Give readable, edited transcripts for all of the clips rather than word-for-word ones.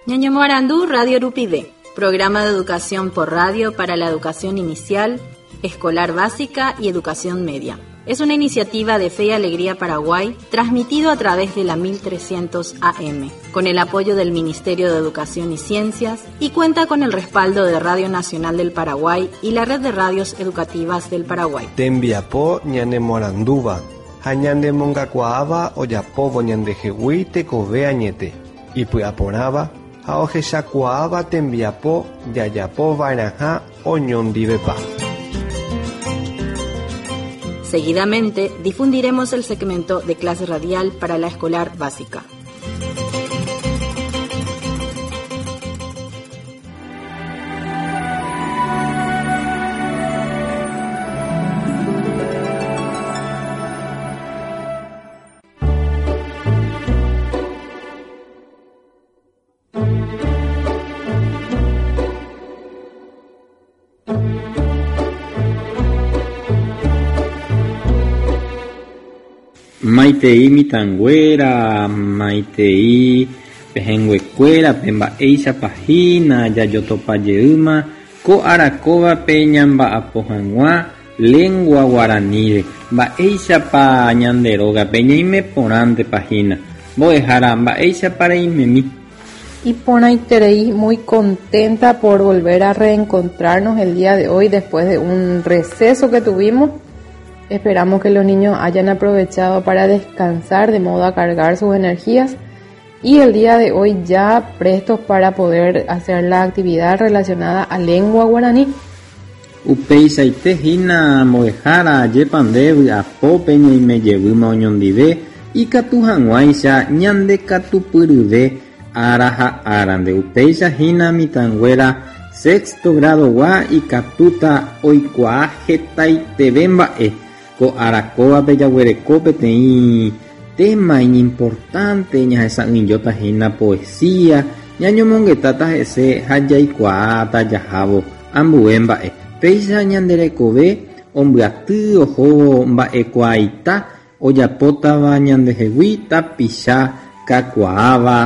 Ñañemoarandu Radio Rupive, programa de educación por radio para la educación inicial, escolar básica y educación media. Es una iniciativa de Fe y Alegría Paraguay, transmitido a través de la 1300 AM, con el apoyo del Ministerio de Educación y Ciencias y cuenta con el respaldo de Radio Nacional del Paraguay y la Red de Radios Educativas del Paraguay. Tembiapo ñanemoarandúva ha ñanemongakuaáva ojapóvo ñandehegui tekove añete, ipy'aporãva ha ohechakuaáva tembiapo jajapova'erãha oñondivepa. Seguidamente difundiremos el segmento de clase radial para la escolar básica. Maitei mitãnguéra, maitei pehẽnguekuérape mba'éichapa hína jajotopa jeýma ko ára kóvape ñamba'apo hag̃ua lengua guaraníre. Mba'éichapa ñande rógape ñaime porãntepa hína. Mbo'ehára, mba'éichapa reimemi. Iporãiterei muy contenta por volver a reencontrarnos el día de hoy después de un receso que tuvimos. Esperamos que los niños hayan aprovechado para descansar de modo a cargar sus energías y el día de hoy ya prestos para poder hacer la actividad relacionada a lengua guaraní. Upeichaite hína mbo'ehára ajépa nde vy'apópe ñaime jevýma oñondive ikatu hag̃uáicha ñandekatupyryve ára ha árante. Upéicha hína mitãnguéra sexto grado-gua ikatúta oikuaa hetaiteve mba'e. Ko ára kóvape jaguereko peteĩ téma iñimportánte ñahesa'ỹijóta hína poesía, ñañomongetáta hese ha jaikuaáta jahávo ambue mba'e. Péicha ñande rekove ombyaty ohóvo mba'ekuaaita ojapótava ñandehegui tapicha kakuaáva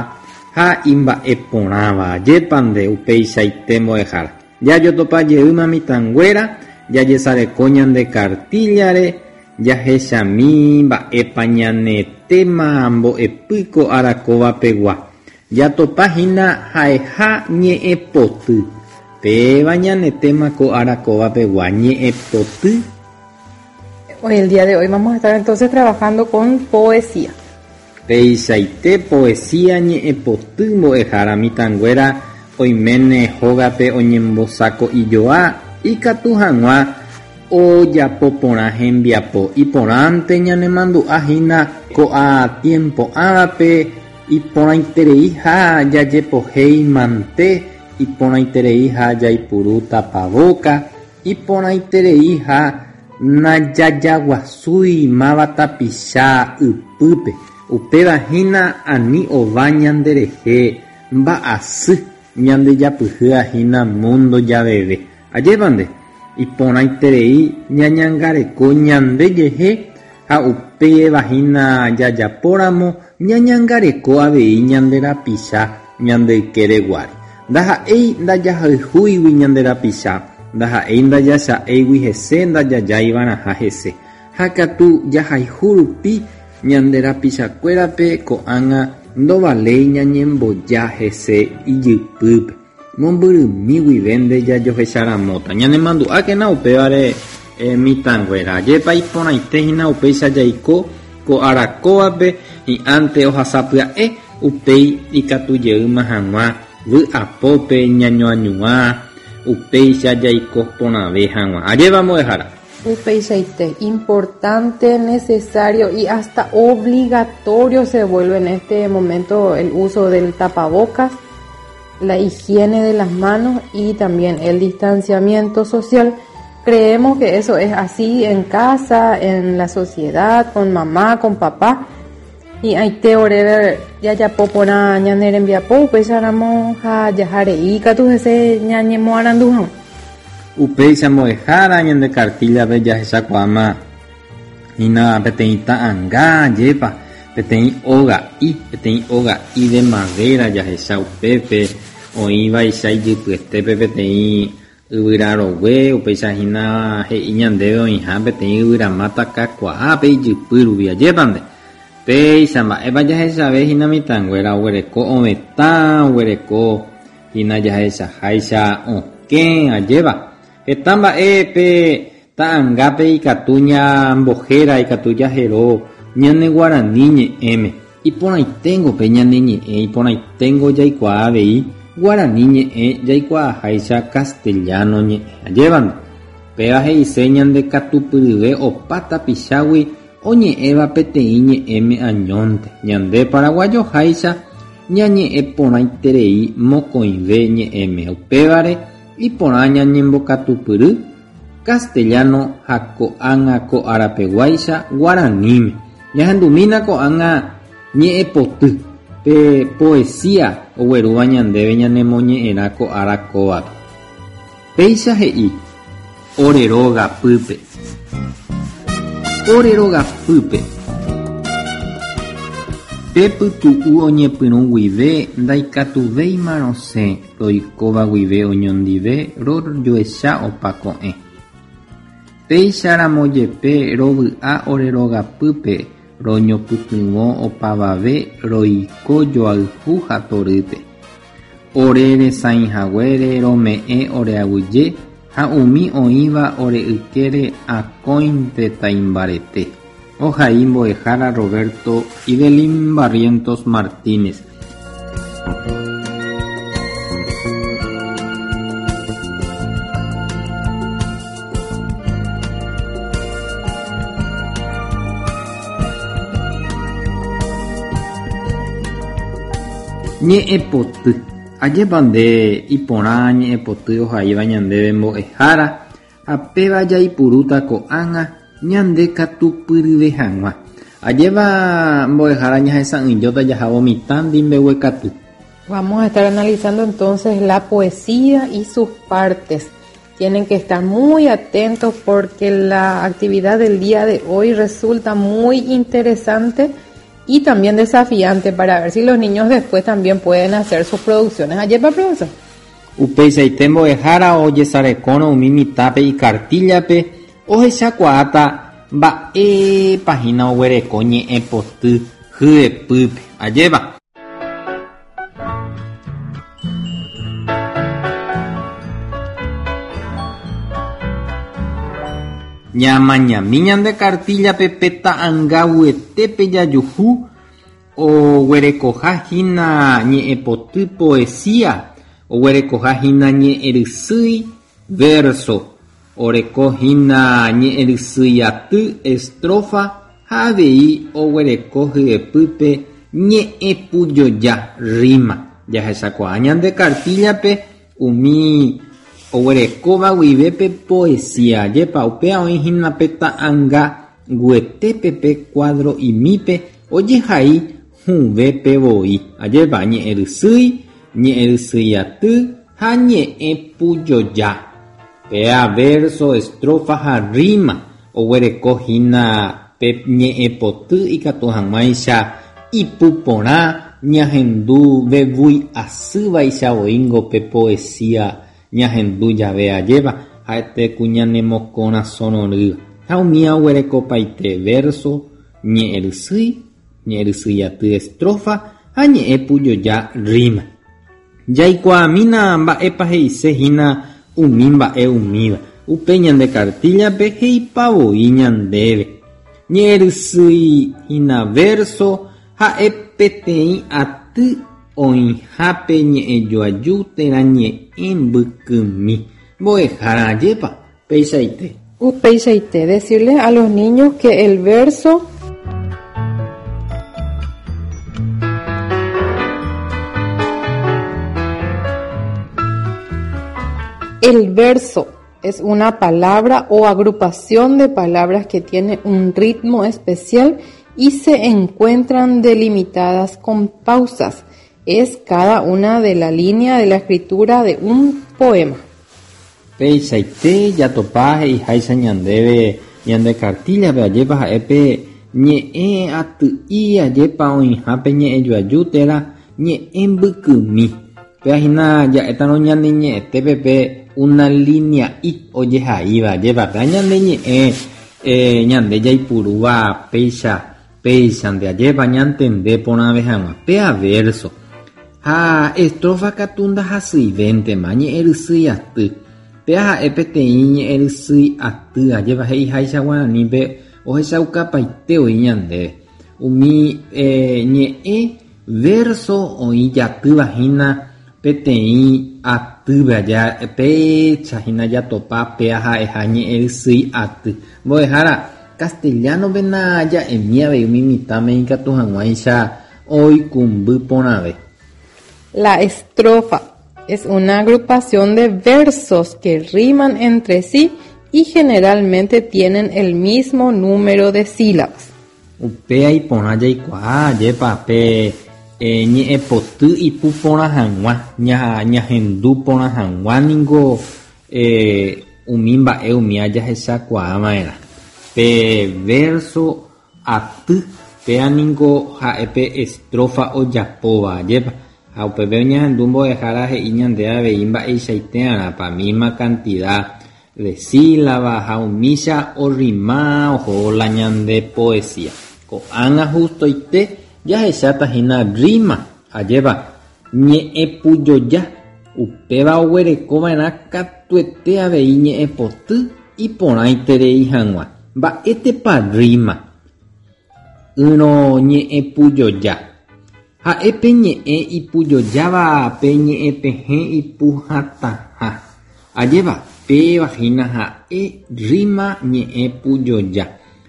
ha imba'eporãva. Ajépa nde upeichaite mbo'ehára. Jajotopa jeýma mitãnguéra, jajesareko ñande kartíllare, jahechami mba'épa ñane téma mbo'epy ko ára kóva pegua. Jatopa hína ha'eha ñe'ẽpoty. Péva ñane téma ko ára kóva pegua, ñe'ẽpoty. Hoy, el día de hoy vamos a estar entonces trabajando con poesía. Peichaite poesía ñe'ẽpoty mbo'ehára mitãnguéra oiméne hógape oñembosako'ijoa ikatu hag̃ua ojapo porã hembiapo. Iporãnte ñanemandu'a hína ko'a tiempo ãvape iporãitereiha jajepohéi mante, iporãitereiha jaipuru tapavóka, Iporãitereiha najajaguasúi máva tapicha ypýpe, upéva hína ani ova ñanderehe mba'asy ñandejapyhýa hína múndo javeve. Ajépa nde, iporãiterei ñañangareko ñande jehe ha upéva hína jajapóramo ñañangareko avei ñande rapicha ñande ykére guáre. Ndaha'éi ndajahayhúigui ñande rapicha, ndaha'éi ndajacha'éigui hese ndajajáivarãha hese. Ha katu jahayhu rupi ñande rapichakuérape ko'ág̃a ndovaléi ñañemboja hese ijypýpe. Mombyrymi guivénte jajohecharamóta. Ñanemandu'ákena upévare mitãnguéra. Ajépa iporãite hína upéicha jaiko ko ára kóvape hi'ãnte ohasa pya'e upéi ikatu jeýma hag̃ua vy'apópe ñañoañuã upéicha jaiko porãve hag̃ua. Ajépa mbo'ehára. Upeichaite, importante, necesario y hasta obligatorio se vuelve en este momento el uso del tapabocas, la higiene de las manos y también el distanciamiento social. Creemos que eso es así en casa, en la sociedad, con mamá, con papá. Hi'ãite oréve jajapo porã ñane rembiapo, upéicharamo ha jaha rei katu hese ñañemoarandu hag̃ua. Upéicha mbo'ehára ñande kartíllape jahechakuaáma hína peteĩ ta'anga, ajépa? Peteĩ oga'i, peteĩ oga'i de madera jahecha upépe oĩvaicha ijypyetépe peteĩ yvyra rogue, upéicha hína he'i ñandéve oĩha peteĩ yvyramáta kakuaápe ijypy rupi ajépante. Péicha mba'épa jahechave hína mitãnguéra oguereko ovetã, oguereko hína jahechaháicha okẽ ajéva. Heta mba'e pe ta'angápe ikatu ñambohéra, ikatu jahero ñane guarani ñe'ẽme. Iporãiténgo pe ñane ñe'ẽ, iporãiténgo jaikuaa avei guarani ñe'ẽ jaikuaaháicha castellano ñe'ẽ. Ajévante. Péva he'ise ñande katupyryve opa tapichágui oñe'ẽva peteĩ ñe'ẽme añónte. Ñande paraguayoháicha ñañe'ẽ porãiterei mokõive ñe'ẽme. Upévare iporã ñañembokatupyry castellano ha ko'ág̃a ko arapeguáicha guaraníme. Ñahendumína ko'ág̃a ñe'ẽpoty pe poesía oguerúva ñandéve ñanemoñe'ẽrã ko ára kóvape. Péicha he'i ore rogapýpe. Ore rogapýpe. Pe pytu'u oñepyrũ guive ndaikatuvéima rosẽ roikóva guive oñondive rojoecha opa ko'ẽ. Péicharamo jepe rovy'a ore rogapýpe roñopytyvõ opavave roiko joayhu ha torýpe. Ore resãihaguére rome'ẽ oreaguyje ha umi oĩva ore ykére akóinte taimbarete. Ohai mbo'ehára Roberto Idelín Barrientos Martínez. Ñe'ẽpoty. Ajépa nde iporã ñe'ẽpoty ohaíva ñandéve mbo'ehára ha péva jaipurúta ko'ág̃a ñande katupyryve hag̃ua. Ajépa mbo'ehára ñahesa'ỹijóta jahávo mitã ndimbeguekatu. Vamos a estar analizando entonces la poesía y sus partes. Tienen que estar muy atentos porque la actividad del día de hoy resulta muy interesante y también desafiante para ver si los niños después también pueden hacer sus producciones. Ajépa, profesor. Upeichaite mbo'ehára ojesarekórõ umi mitãpe ikartíllape ohechakuaáta mba'épa hína oguereko ñe'ẽpoty hyepýpe. Ajépa. Ñamañami ñande kartíllape pe ta'angavuetépe jajuhu oguerekoha hína ñe'ẽpoty poesía, oguerekoha hína ñe'ẽrysýi verso, oreko hína ñe'ẽrysýi estrofa ha avei oguereko hyepýpe ñe'ẽpujoja rima. Jahechakuaa ñande kartíllape umi oguerekóva guive pe poesía. Ajépa upéva oĩ hína pe ta'angaguetépe pe cuadro'imípe ojehai hũvépe voi. Ajépa ñe'ẽrysýi, ñe'ẽrysýi aty ha ñe'ẽpujoja. Péa verso, estrofa ha rima oguereko hína pe ñe'ẽpoty ikatu hag̃uáicha ipuporã ñahendu vevúi asývaicha voíngo pe poesía ñahendu jave ajépa ha'ete ku ñanemokorasõrorýva. Ha umíva oguerekopaite verso, ñe'ẽrysýi, ñe'ẽrysýi aty estrofa ha ñe'ẽpujoja rima. Jaikuaamína mba'épa he'ise hína umi mba'e umíva. Upe ñande kartíllape he'ipavoi ñandéve. Ñe'ẽrysýi hína verso ha'e peteĩ aty oĩhápe ñe'ẽjoaju térã ñe'ẽ mbykymi. Mbo'ehára ajépa peichaite. Upeichaite, decirle a los niños que el verso El verso es una palabra o agrupación de palabras que tiene un ritmo especial y se encuentran delimitadas con pausas. Es cada una de la línea de la escritura de un poema. Peichaite jatopa he'iháicha ñandéve ñande kartíllape ajépa ha'e pe Ñe'ẽ aty'i ajépa oĩhápe ñe'ẽjoaju térã ñe'ẽ mbykymi. Péva hína ja'étarõ ñane ñe'ẽtépe pe una linea'i ojehaíva ajépa péva ñane ñe'ẽ ñande jaipurúva péicha péichante ajépa ñantende porãve hag̃ua péva verso. Ha estrofa katu ndahasyivéntema ñe'ẽrysýi aty. Péva ha'e peteĩ ñe'ẽrysýi aty ajépa he'iháicha guaranípe Ohechaukapaite oĩ ñandéve umi ñe'ẽ verso oĩ jatýva hína peteĩ atýpe aja péicha hína jatopa péa ha'eha ñe'ẽrysýi aty. Mbo'ehára, castellano-pe naja'emi avei umi mitãme ikatu hag̃uáicha oikũmby porãve. La estrofa es una agrupación de versos que riman entre sí y generalmente tienen el mismo número de sílabas. Upéa iporã jaikuaa ajépa pe ñe'ẽpoty ipu porã hag̃ua, ñahendu porã hag̃ua ningo umi mba'e umía jahechakuaa va'erã. Pe verso aty, péa ningo ha'e pe estrofa ojapóva, ajépa. Ha upépe oñehendu mbo'ehára he'i ñande avei mba'eichaite'arãpa, misma cantidad de sílaba ha umícha orrima oho la ñande poesía. Ko'ág̃a hustoite jahecháta hína rima, ajépa, ñe'ẽpujoja, upéva oguerekova'erã katuete avei ñe'ẽpoty iporãiterei hag̃ua. Mba'étepa rima? Ỹrõ ñe'ẽpujoja. Ha'e pe ñe'ẽ ipujojáva pe ñe'ẽpehẽ ipuhatãha. Ajépa, péva hína ha'e rima ñe'ẽ pujoja.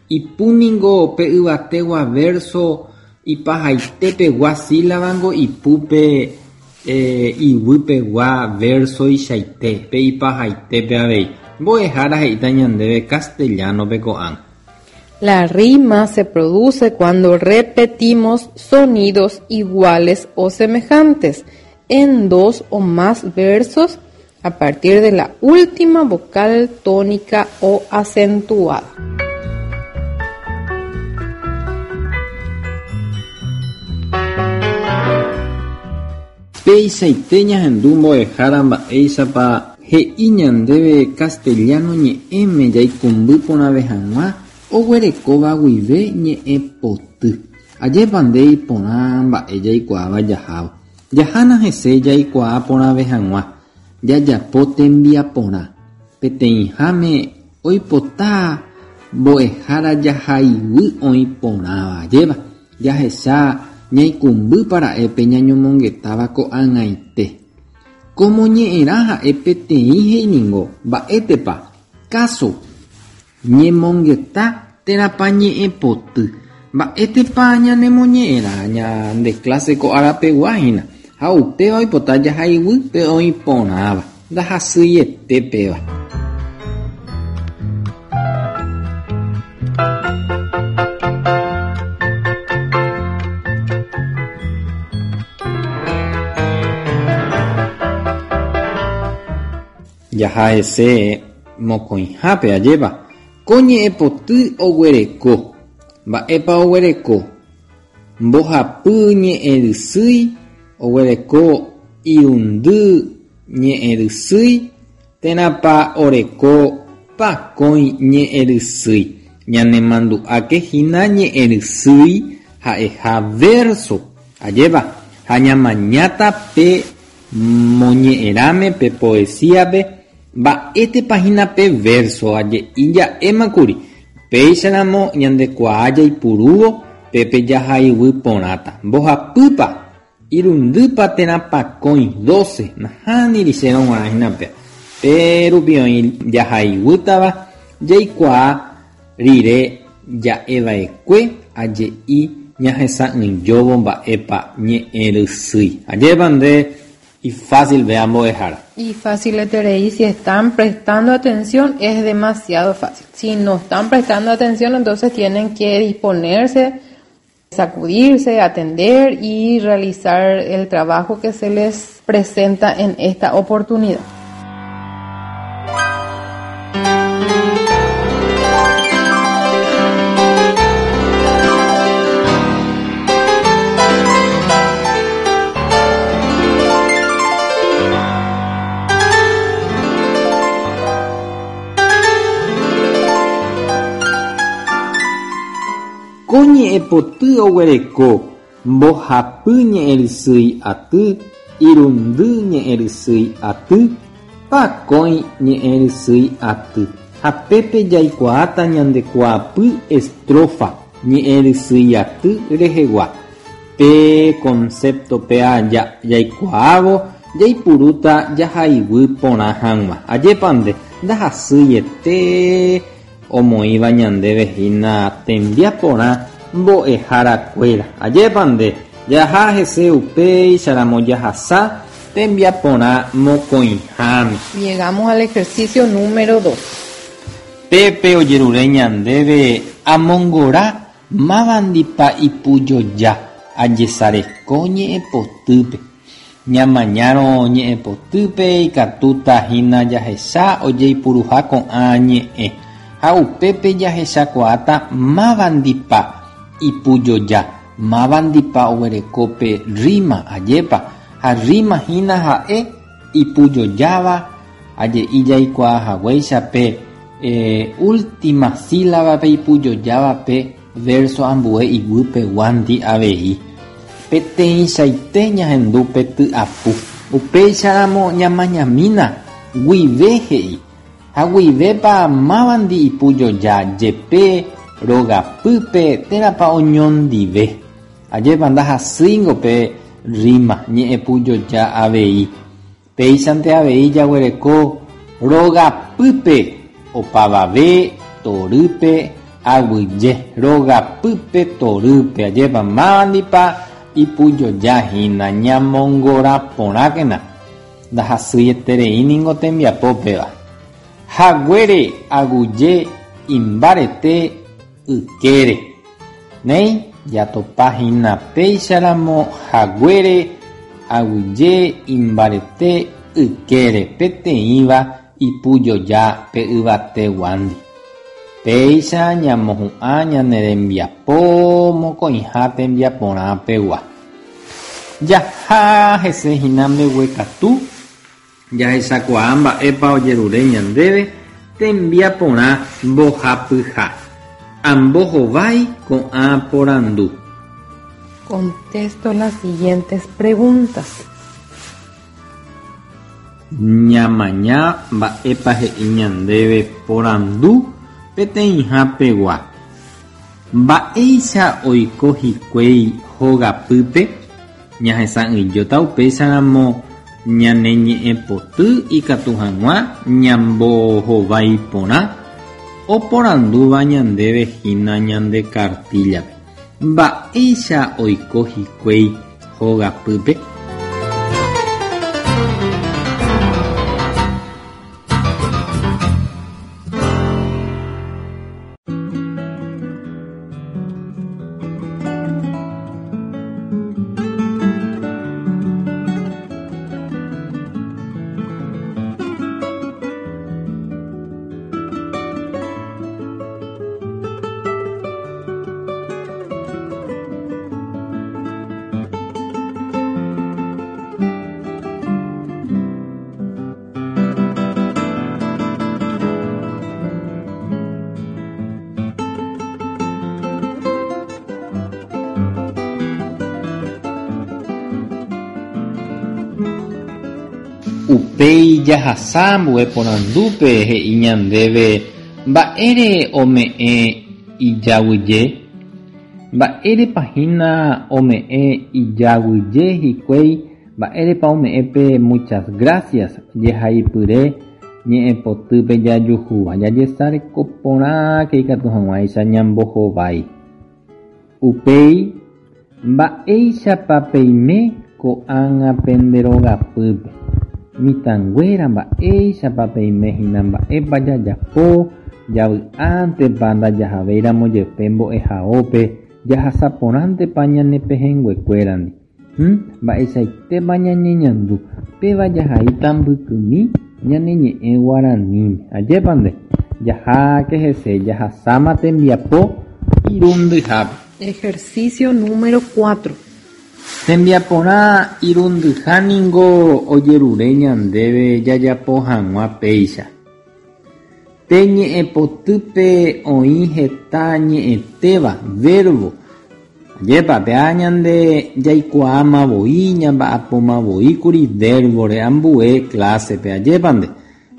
Ipu ningo pe yvategua verso ipahaitepegua sílabango ipu pe iguýpegua versoichaite, pe ipahaitépe avei. Mbo'ehára he'íta ñandéve castellano-pe ko'ág̃a. La rima se produce cuando repetimos sonidos iguales o semejantes en dos o más versos a partir de la última vocal tónica o acentuada. Peichaite ñahendu mbo'ehára mba'éichapa he'i ñandéve castellano ñe'ẽme jaikũmby porãve hag̃ua oguerekóva guive ñe'ẽ poty. Ajépa nde iporã mba'e jaikuaáva jahávo. Jahána hese jaikuaa porãve hag̃ua, jajapo tembiaporã. Peteĩháme oipota mbo'ehára jahaiguy oĩ porãva, ajépa? Jahecha ñaikũmbýpa ra'e pe ñañomongetáva ko'ag̃aite. Ko moñe'ẽrã ha'e peteĩ he'i ningo, mba'étepa, káso, ñemongeta térãpa ñe'ẽpoty. Mba'étepa ñanemoñe'ẽrã ñande clase ko arapegua hína, ha upéva oipota jahaiguy pe oĩ porãva, ndahasyiete péva. Jaha hese mokõihápe, ajépa, ko ñe'ẽpoty oguereko. Mba'épa oguereko? Mbohapy ñe'ẽrysýi oguereko irundy ñe'ẽrysýi térãpa oreko pakõi ñe'ẽrysýi. Ñanemandu'áke hína ñe'ẽrysýi ha'eha verso, ajépa, ha ñamañáta pe moñe'ẽrãme pe poesía-pe mba'étepa hína pe verso aje'i ja'émakuri, upéicharamo ñandekuaa jaipurúvo pépe jahaiguy porãta. Mbohapýpa, irundýpa térã pakõi, doce, nahániri chérõ g̃uarã hína péa. Pe rupi oĩ jahaiguýtava jaikuaa rire ja'eva'ekue aje'i ñahesa'ỹijóvo mba'épa ñe'ẽrysýi. Ajépa nde ifásilve ambo'ehára. Ifásileterei si están prestando atención es demasiado fácil. Si no están prestando atención entonces tienen que disponerse, sacudirse, atender y realizar el trabajo que se les presenta en esta oportunidad. Ko ñe'ẽpoty oguereko mbohapy ñe'ẽrysýi aty, irundy ñe'ẽrysýi aty, pakõi ñe'ẽrysýi aty. Ha pépe jaikuaáta ñande kuaapy estrofa ñe'ẽrysýi aty rehegua. Pe concepto péa jaikuaávo jaipurúta jahaiguy porã hag̃ua. Ajépa nde, ndahasýiete omoĩva ñandéve hína tembiaporã mbo'eharakuéra. Ajépa nde, jaha hese upéicharamo jahasa tembiaporã mokõiháme. Llegamos al ejercicio número 2. Pépe ojerure ñandéve amongora mávandipa ipujoja ajesareko ñe'ẽpotýpe. Ñamañárõ ñe'ẽpotýpe ikatúta hína jahecha ojeipuruha ko'ã ñe'ẽ ha upépe jahechakuaáta mávandipa ipujoja, mávandipa oguereko pe rima, ajépa, ha rima hína ha'e ipujojáva aje'i jaikuaa haguéicha pe última sílaba-pe ipujojáva pe verso ambue iguýpeguándi avei. Peteĩchaite ñahendu pe ty'apu. Upéicharamo ñamañamína guive he'i. Ha guivépa mávandi ipujoja jepe rogapýpe térãpa oñondive. Ajépa ndahasýingo pe rima ñe'ẽpujoja avei. Péichante avei jaguereko rogapýpe opavave torýpe aguyje. Rogapýpe torýpe. Ajépa mávandipa ipujoja hína ñamongora porãkena. Ndahasyieterei ningo tembiapo péva. Haguére aguyje imbarete ykére. Néi, jatopa hína péicharamo haguére aguyje imbarete ykére peteĩva ipujoja pe yvateguándi. Péicha ñamohu'ã ñane rembiapo mokõiha tembiaporã pegua. Jaha hese hína mbeguekatu jahechakuaa mba'épa ojerure ñandéve tembiaporã mbohapyha. Ambohovái ko'ã porandu. Contesto las siguientes preguntas. Ñamaña mba'épa he'i ñandéve porandu peteĩha pegua. Mba'éicha oiko hikuái hogapýpe? Ñahesa'ỹijóta upéicharamo ñane ñe'ẽpoty ikatu hag̃ua ñambohovái porã oporandúva ñandéve hína ñande kartíllape. Mba'éicha oiko hikuái hogapýpe? Upéi jahasa ambue porandúpe he'i ñandéve mba'ére ome'ẽ ijaguyje. Mba'érepa hína ome'ẽ ijaguyje hikuái, mba'érepa ome'ẽ pe muchas gracias jehaipyre ñe'ẽpotýpe jajuhúva. Jajesareko porãke ikatu hag̃uáicha ñambohovái. Upéi, mba'éichapa peime ko'ág̃a pende rogapýpe. Mitãnguéra mba'éichapa peime hína mba'épa jajapo, javy'ántepa ndajahavéiramo jepe mbo'ehaópe, jahasa porãntepa ñane pehẽnguekuérandi. Mba'eichaitépa ñañeñandu, péva jahaíta mbykymi ñane ñe'ẽ guaraníme. Ajépa nde, jaháke hese jahasáma tembiapo irundyhápe. Ejercicio número 4. Tembiaporã irundyha ningo ojerure ñandéve jajapo hag̃ua péicha. Pe ñe'ẽpotýpe oĩ heta ñe'ẽtéva, verbo. Ajépa, péa ñande jaikuaáma voi, ñamba'apóma voi kuri verbo-re ambue clase-pe, ajépa nde.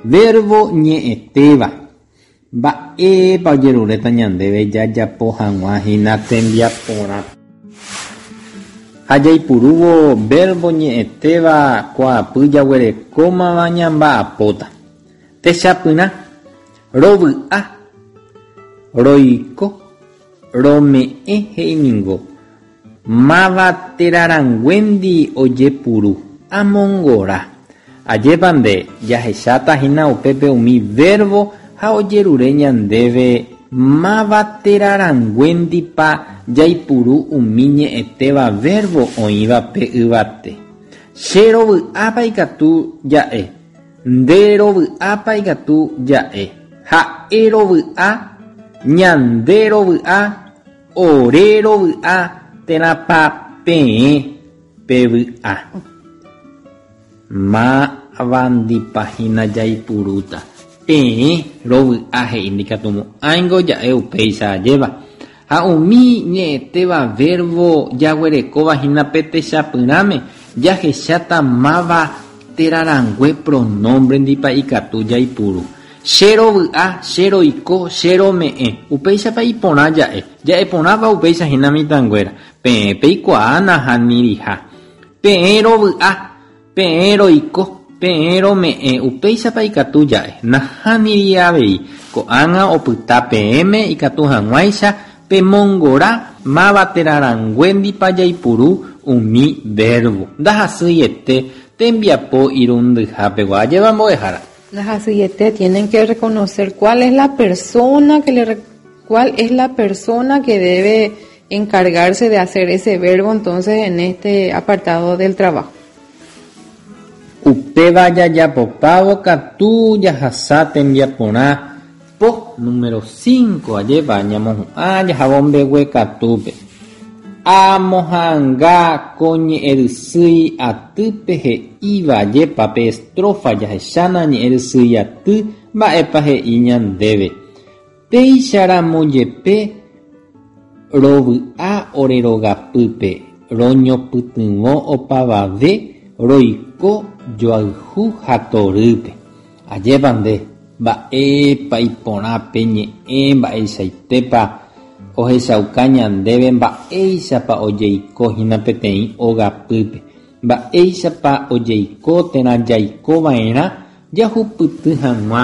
Verbo ñe'ẽtéva. Mba'épa ojeruréta ñandéve jajapo hag̃ua hína tembiaporã. Ha jaipurúvo verbo ñe'ẽtéva kuaapy jaguerekómava ñamba'apóta. Techapyrã, rovy'a, roiko, rome'ẽ he'i ningo, máva térarãnguéndi ojepuru, amongora. Ajépa nde jahecháta hína upépe umi verbo ha ojerure ñandéve máva térarãnguéndipa jaipuru umi ñe'ẽtéva verbo oĩva pe yvate. Che rovy'ápa ikatu ja'e, nde rovy'ápa ikatu ja'e, ha'e rovy'a, ñande rovy'a, ore rovy'a térãpa peẽ pevy'a. Mávandipa hína jaipurúta. Peẽ rovy'a he'i ndikatumo'ãingo ja'e upéicha ajéva. Ha umi ñe'ẽtéva verbo jaguerekóva hína pe techapyrãme jahecháta máva térarãngue pronombre ndipa ikatu jaipuru. Che rovy'a, che roiko, che rome'ẽ. Upéichapa iporã ja'e. Ja'e porãpa upéicha hína mitãnguéra. Peẽ peikuaa nahaniriha. Peẽ rovy'a, peẽ roiko, peẽ rome'ẽ. Upéichapa ikatu ja'e. Nahániri avei. Ko'ág̃a opyta peẽme ikatu hag̃uáicha pemongora máva térarãnguéndipa jaipuru umi verbo. Ndahasyiete tembiapo irundyhapegua. Ajépa mbo'ehára. Ndahasyiete tienen que reconocer cuál es la persona que le cuál es la persona que debe encargarse de hacer ese verbo entonces en este apartado del trabajo. Upéva jajapopávo katu jahasa tembiaporã po número 5 ajépa ñamohu'ã jahávo mbeguekatúpe. Amoha'ãnga ko ñe'ẽrysýi atýpe he'íva ajépa pe estrofa jahechána ñe'ẽrysýi aty mba'épa he'i ñandéve. Péicharamo jepe rovy'a ore rogapýpe roñopytyvõ opavave roiko joayhu ha torýpe. Ajépa nde, mba'épa iporã pe ñe'ẽ mba'eichaitépa ohechauka ñandéve mba'éichapa ojeiko hína peteĩ ogapýpe, mba'éichapa ojeiko térã jaikova'erã jahupyty hag̃ua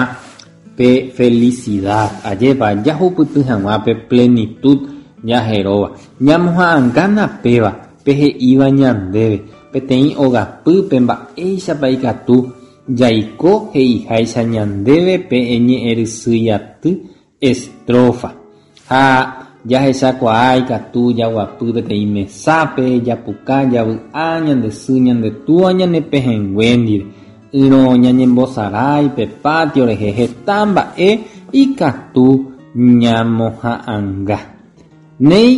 pe felicidad, ajépa jahupyty hag̃ua pe plenitud jaheróva. Ñamoha'ãngána péva pe he'íva ñandéve peteĩ ogapýpe mba'éichapa ikatu jaiko he'iháicha ñandéve pe ñe'ẽrysýi aty estrofa. Ha jahechakuaa ikatu jaguapy peteĩ mesápe, japuka, javy'a, ñande sy, ñande túa, ñane pehẽngue ndive. Ỹrõ ñañembosarái pe patio rehe heta mba'e ikatu ñamoha'ãnga. Néi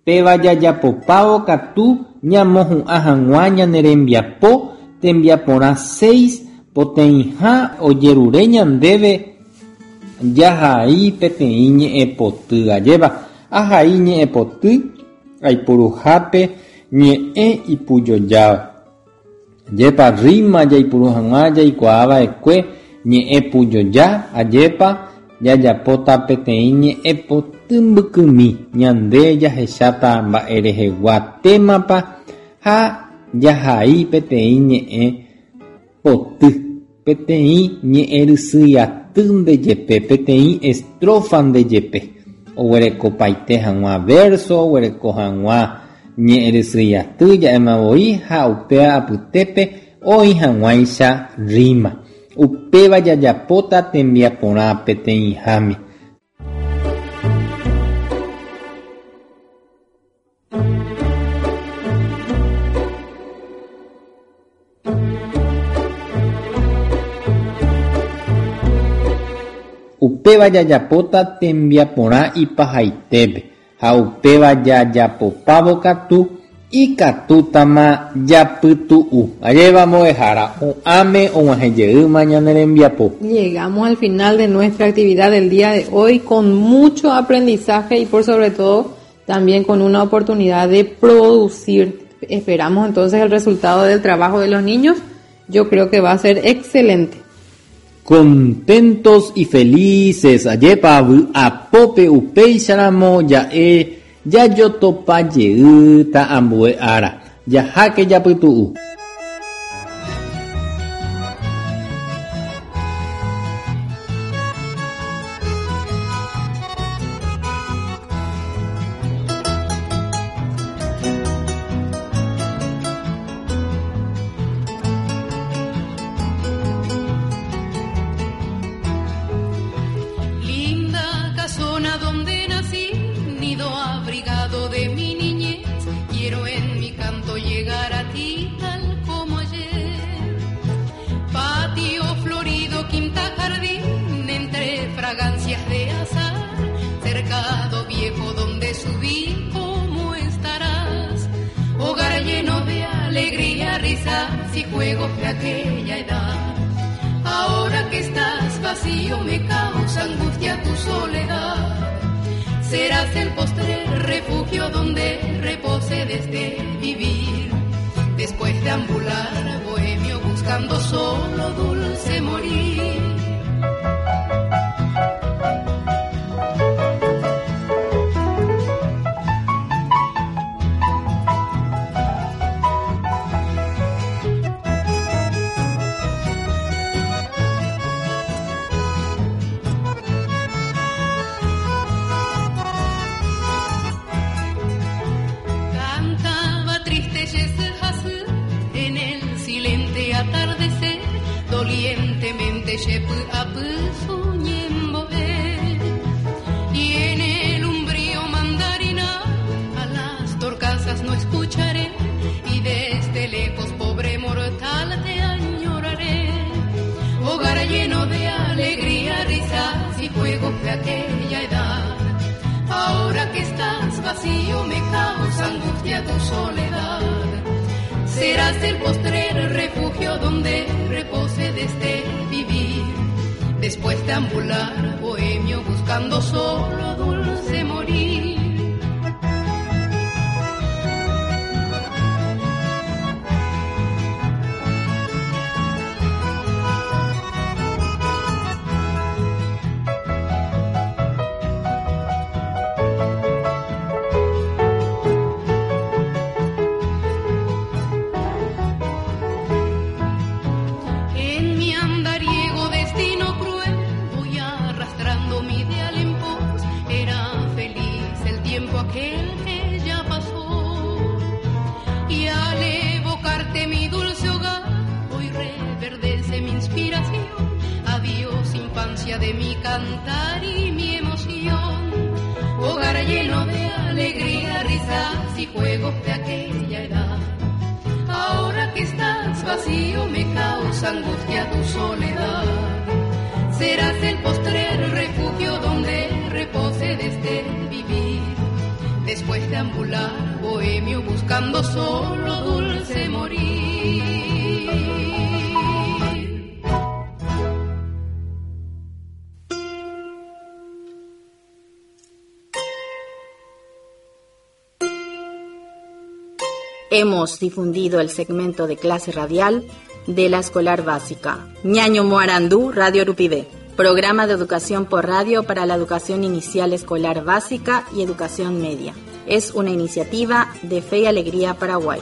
péva jajapopávo katu ñamohu'ã hag̃ua ñane rembiapo tembiaporã 6 poteĩha ojerure ñandéve jahai peteĩ ñe'ẽpoty. Ajépa ahai ñe'ẽpoty aipuruhápe ñe'ẽ ipujojáva. Ajépa rima jaipuru hag̃ua jaikuaava'ekue ñe'ẽ pujoja, ajépa jajapóta peteĩ ñe'ẽpoty mbykymi ñande jahecháta mba'e rehegua témapa ha jahai peteĩ ñe'ẽ poty, peteĩ ñe'ẽrysýi aty ndejepe, peteĩ estrofa ndejepe. Oguerekopaite hag̃ua verso, oguereko hag̃ua ñe'ẽrysýi aty ja'éma voi ha upéva apytépe oĩ hag̃uáicha rima. Upéva jajapóta tembiaporã peteĩháme. Upéva jajapóta tembiaporã ipahaitépe ha upéva jajapopávo katu. Ikatútama japytu'u. Ajépa mbo'ehára, hu'ãme og̃uahẽjeýma ñane rembiapo. Llegamos al final de nuestra actividad del día de hoy con mucho aprendizaje y por sobre todo también con una oportunidad de producir. Esperamos entonces el resultado del trabajo de los niños. Yo creo que va a ser excelente. Contentos y felices, ajépa vy'apópe upéicharamo ja'e jajotopa jeýta ambue ára. Jaháke japytu'u. Linda casona donde nací, nido abrigado de mi niñez, quiero en mi canto llegar a ti tal como ayer. Patio florido, quinta jardín, entre fragancias de azahar, cercado viejo donde subí, ¿cómo estarás? Hogar lleno de alegría, risas y juegos de aquella edad. Ahora que estás vacío me causa angustia tu soledad. Serás el postrer refugio donde repose desde vivir. Después de ambular bohemio buscando solo dulce morir. Cantaba triste Yesehasú en el silente atardecer, dolientemente Yepu-apu suñemboe. Y en el umbrío mandarina a las torcasas no escucharé, y desde lejos, pobre mortal, te añoraré. Hogar lleno de alegría, risas y juegos de aquella edad. Ahora que estás vacío me causa angustia tu soledad. Serás el postrer refugio donde repose desde vivir. Después de ambular bohemio buscando solo dulce morir. En mi andariego destino cruel voy arrastrando mi ideal en pos. Era feliz el tiempo aquel que ya pasó. Y al evocarte mi dulce hogar, hoy reverdece mi inspiración. Adiós infancia de mi cantar y mi emoción. Hogar lleno de alegría, risas y juegos de aquella edad. Ahora que estás vacío me causa angustia tu soledad. Serás el postrer refugio donde repose desde vivir. Después de ambular bohemio buscando solo dulce morir. Hemos difundido el segmento de clase radial de la escolar básica. Ñaño Moarandú, Radio Rupivé. Programa de educación por radio para la educación inicial escolar básica y educación media. Es una iniciativa de Fe y Alegría Paraguay.